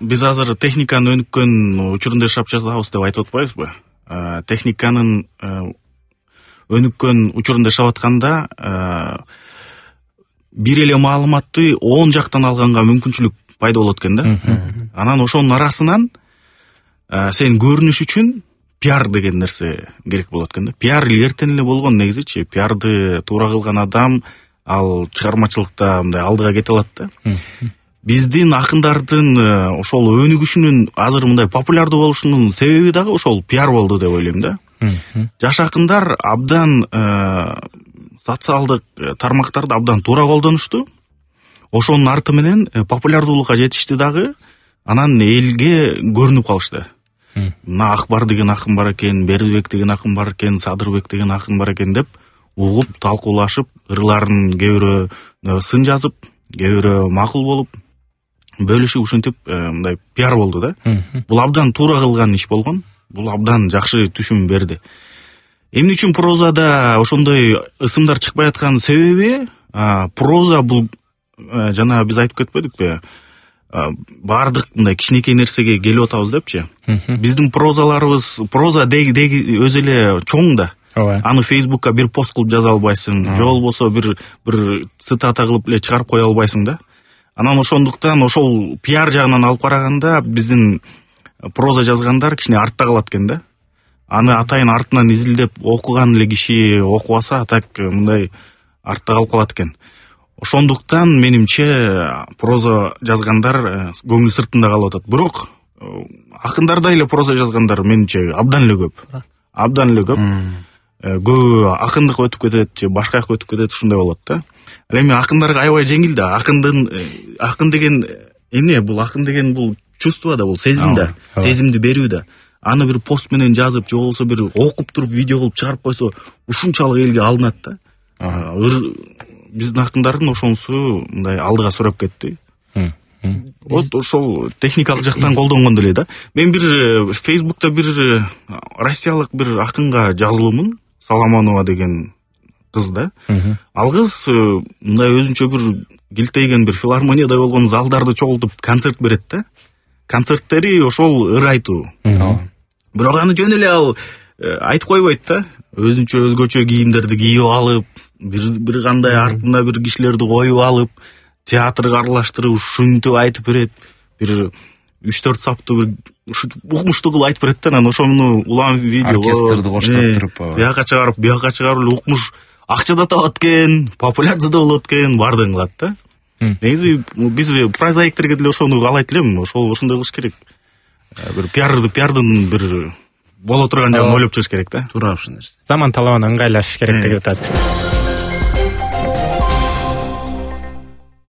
биз азыр техниканын өнүккөн учурунда жашап жатабыз деп айтып атпайбызбы? Техниканын өнүккөн учурунда жашап атканда бир эле маалыматты 10 жактан алганга мүмкүнчүлүк пайда болот экен да. Анан ошонун арасынан сен көрүнүш үчүн пиар деген нерсе керек болот экен да. Пиар эртен эле болгон негизичи. Пиарды туура кылган адам ал чыгармачылыкта мындай алдыга кете алат да. Биздин акындардын ошол өнүгүшүнүн азыр мындай популярдуу болушунун себеби дагы ошол пиар болду деп ойлойм да. Жаш акындар абдан социалдык тармактарды абдан туура колдонушту. Ошонун арты менен популярдуулукка жетишти дагы. Анан элге көрүнүп калышты. Мына Акбар деген акын бар экен, Бердибек деген акын бар экен, Садырбек деген акын бар экен деп угуп, талкуулашып, ырларын кээ бирөө сын жазып, кээ бирөө макул болуп, бөлүшүп ушинтип мындай пиар болду да. Бул абдан туура кылган иш болгон. Бул абдан жакшы түшүм берди. Эмне үчүн прозада ошондой ысымдар чыкпай аткан себеби, проза бул жана биз айтып кетпедикпи? Баардык мындай кичинекей нерсеге келип атабыз депчи. Биздин прозаларыбыз, проза өзү эле чоң да. Аны Фейсбукка бир пост кылып жаза албайсың, же болбосо бир цитата кылып эле чыгарып кое албайсың да. Анан ошондуктан ошол пиар жагынан алып караганда биздин проза жазгандар кичине артта калат экен да. Аны атайын артынан изилдеп окуган эле киши окубаса так мындай артта калып калат экен. Ошондуктан менимче проза жазгандар көңүл сыртында калып атат. Бирок акындарда эле проза жазгандар менимче абдан эле көп. Абдан эле көп. Көбү акындык өтүп кетет же башка жакка өтүп кетет, ушундай болот да. Ал эми акындарга аябай жеңил да. Акын деген эмне? Бул акын деген бул чувство да, бул сезим да. Сезимди берүү да. Аны бир пост менен жазып, же болбосо бир окуп туруп видео кылып чыгарып койсо, ушунчалык элге алынат да. Биздин акындардын ошонусу мындай алдыга сурап кетти. Вот ошол техникалык жактан колдонгон деле да. Мен бир Фейсбукта бир россиялык бир акынга жазылуумун, Саламанова деген кыз да. Ал кыз мындай өзүнчө бир килтейген бир филармонияда болгон залдарды чогултуп концерт берет да. Концерттери ошол ыр айтуу. Бирок аны жөн эле ал айтып койбойт да. Өзгөчө кийимдерди кийип алып, бир кандай артында бир кишилерди коюп алып, театрга аралаштырып, ушинтип айтып берет. Бир 3-4 саптуу бир укмуштуу кылып айтып берет да. Анан ошону улам видео оркестрди коштоп туруп, бияка чыгарып эле укмуш акча да табат экен, популярдуу да болот экен, баардыгын кылат да. Негизи биз прозаиктерге деле ошону каалайт элем, ошондой кылыш керек. Бир пиардын бир боло турган жагын ойлоп чыгыш керек да. Туура ушул нерсе. Заман талабына ыңгайлашыш керек деп атасыз.